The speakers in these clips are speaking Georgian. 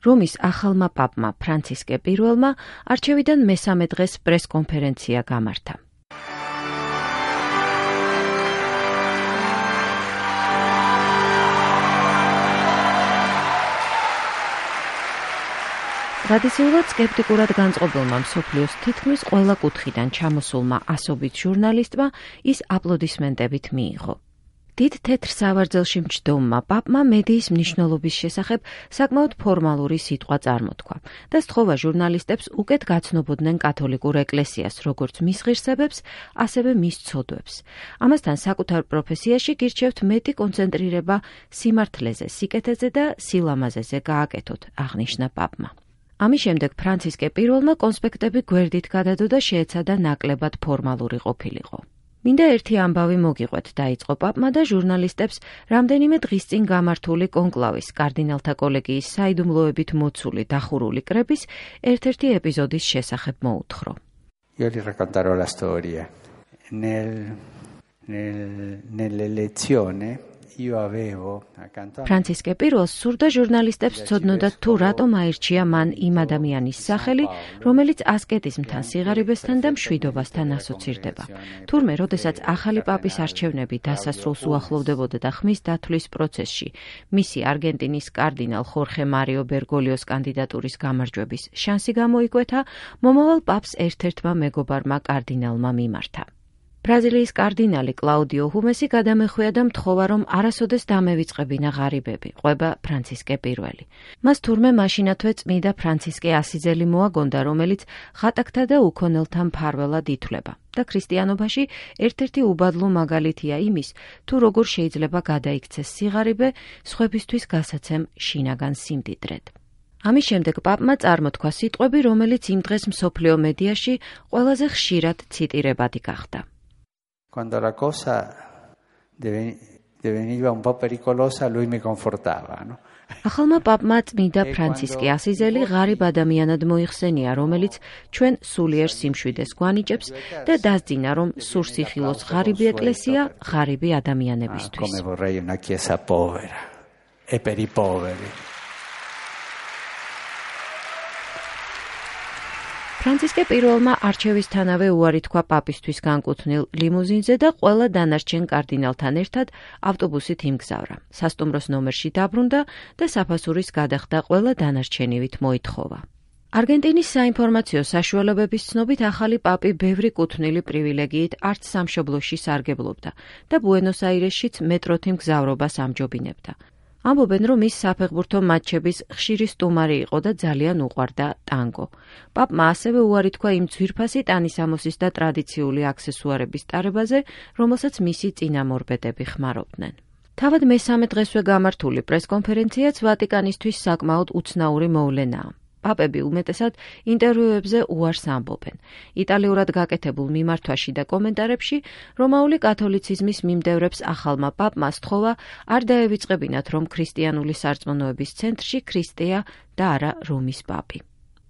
რომის ახალმა პაპმა ფრანცისკე პირველმა არჩევიდან მესამე დღეს პრესკონფერენცია გამართა. ტრადიციულად სკეპტიკურად განწყობილმა მსოფლიოს თითქმის ყველა კუთხიდან ჩამოსულმა ასობით ჟურნალისტმა ის აპლოდისმენტებით მიიღო. დიდ თეთრ სავარძელში მჯდომმა პაპმა მედიის მნიშვნელობის შესახებ საკმაოდ ფორმალური სიტყვა წარმოთქვა და სთხოვა ჟურნალისტებს უკეთ გაცნობოდნენ კათოლიკურ ეკლესიას, როგორც მის ღირსებებს, ასევე მის ცოდვებს. ამასთან საკუთარ პროფესიაში გირჩევთ მეტი კონცენტრირება სიმართლეზე, სიკეთეზე და სილამაზეზე გააკეთოთ, აღნიშნა პაპმა. ამის შემდეგ ფრანცისკე პირველმა კონსპექტები გვერდით გადადო და შეეცადა ნაკლებად ფორმალური ყოფილიყო. მინდა ერთი ამბავი მოგიყვეთ, დაიწყო პაპმა და ჟურნალისტებს რამდენიმე დღის წინ გამართული კონკლავის კარდინალთა კოლეგიის საიდუმლოებით მოცული დახურული კრების ერთ-ერთი ეპიზოდის შესახებ მოუთხრო. Io vi racconterò la storia. Nelle lezioni io avevo accanto a ფრანცისკე პირველს სურდა ჟურნალისტებს ცოდნოდათ თუ რატომ აირჩია მან იმ ადამიანის სახელი, რომელიც ასკეტიზმთან, სიღარიბესთან და მშვიდობასთან ასოცირდება. თურმე, როდესაც ახალი პაპის არჩევნები დასასრულს უახლოვდებოდა და ხმის დათვლის პროცესში მისი არგენტინის კარდინალ ხორხე მარიო ბერგოლიოს კანდიდატურის გამარჯვების შანსი გამოიკვეთა, მომავალ პაპს ერთ-ერთმა მეგობარმა კარდინალმა მიმართა. ბრაზილიის კარდინალი კლაუდიო ჰუმესი გადამეხვია და მთხოვა, რომ არასოდეს დამევიწყებინა ღარიბები, ყვება ფრანცისკე პირველი. მას თურმე მაშინათვე წმიდა ფრანცისკე ასიძელი მოაგონდა, რომელიც ხატაკთა და უქონელთა მფარველად ითვლება და ქრისტიანობაში ერთ-ერთი უბადლო მაგალითია იმის, თუ როგორ შეიძლება გადაიქცეს სიღარიბე სხვებისთვის გასაცემ შინაგან სიმდიდრედ. ამის შემდეგ პაპმა წარმოთქვა სიტყვები, რომელიც იმ დღეს მსოფლიო მედიაში ყველაზე ხშირად ციტირებადი გახდა. Quando la cosa deveniva un po' pericolosa, lui mi confortava, no? ახალმა პაპმა წმიდა ფრანცისკე ასიზელი ღარიბ ადამიანად მოიხსენია, რომელიც ჩვენ სულიერ სიმშვიდეს გვანიჭებს და დასძინა, რომ სურსიხილოს ღარიბი ეკლესია ღარიბი ადამიანებისთვის. Come vorrei una chiesa povera e per i poveri. ფრანცისკე პირველმა არჩევისთანავე უარი თქვა პაპისთვის განკუთვნილ ლიმუზინზე და ყველა დანარჩენ კარდინალთან ერთად ავტობუსით იმგზავრა. სასტუმროს ნომერში დაბრუნდა და საფასურის გადახდა ყველა დანარჩენივით მოითხოვა. არგენტინის საინფორმაციო საშუალებების ცნობით ახალი პაპი ბევრი კუთვნილი პრივილეგიით არც სამშობლოში სარგებლობდა და ბუენოს-აირესშიც მეტროთი მგზავრობას ამჯობინებდა. ამბობენ, რომ ის საფეხბურთო მატჩების ხშირი სტუმარი იყო და ძალიან უყვარდა ტანგო. პაპმა ასევე უარი თქვა იმ ძვირფასი ტანისამოსის და ტრადიციული აქსესუარების ტარებაზე, რომელსაც მისი წინამორბედები ხმარობდნენ. თავად მესამე დღესვე გამართული პრესკონფერენციაც ვატიკანისთვის საკმაოდ უცნაური მოვლენაა. პაპები უმეტესად ინტერვიუებზე უარს ამბობენ. იტალიურად გაკეთებულ მიმართვაში და კომენტარებში რომაული კათოლიციზმის მიმდევრებს ახალმა პაპმა სთხოვა არ დაევიწყებინათ, რომ ქრისტიანული სარწმუნოების ცენტრში ქრისტეა და არა რომის პაპი.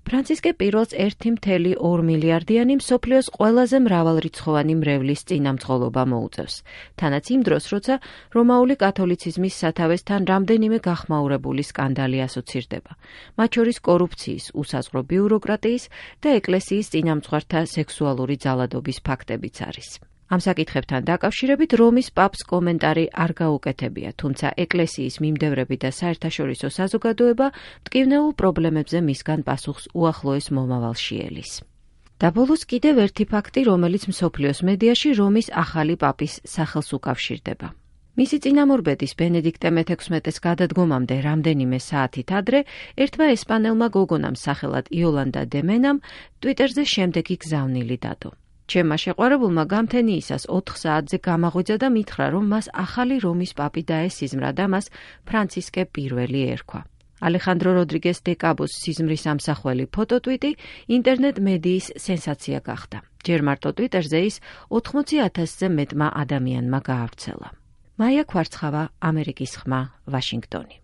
ფრანცისკე პირველს 1,2 მილიარდიანი მსოფლიოს ყველაზე მრავალრიცხოვანი მრევლის წინამძღოლობა მოუწევს. თანაც იმ დროს, როცა რომაული კათოლიციზმის სათავესთან რამდენიმე გახმაურებული სკანდალი ასოცირდება. მათ შორის კორუფციის, უსაზღვრო ბიუროკრატიის და ეკლესიის წინამძღვართა სექსუალური ძალადობის ფაქტებიც არის. ამ საკითხებთან დაკავშირებით რომის პაპს კომენტარი არ გაუკეთებია, თუმცა ეკლესიის მიმდევრები და საერთაშორისო საზოგადოება მტკივნეულ პრობლემებზე მისგან პასუხს უახლოეს მომავალში ელის. და ბოლოს კიდევ ერთი ფაქტი, რომელიც მსოფლიოს მედიაში რომის ახალი პაპის სახელს უკავშირდება. მისი წინამორბედის ბენედიქტე მე-16-ის გადადგომამდე რამდენიმე საათით ადრე ერთმა ესპანელმა გოგონამ სახელად იოლანდა დე მენამ ტვიტერზე შემდეგი გზავნილი დადო. ჩემმა შეყვარებულმა გამთენიისას 4 საათზე გამაღვიძა და მითხრა, რომ მას ახალი რომის პაპი დაესიზმრა და მას ფრანცისკე პირველი ერქვა. ალეხანდრო როდრიგეს დე კაბოს სიზმრის ამსახველი ფოტოტვიტი ინტერნეტ მედიის სენსაცია გახდა. ჯერ მარტო ტვიტერზე ის 80,000-ზე მეტმა ადამიანმა გაავრცელა. მაია ქვარცხავა, ამერიკის ხმა, ვაშინგტონი.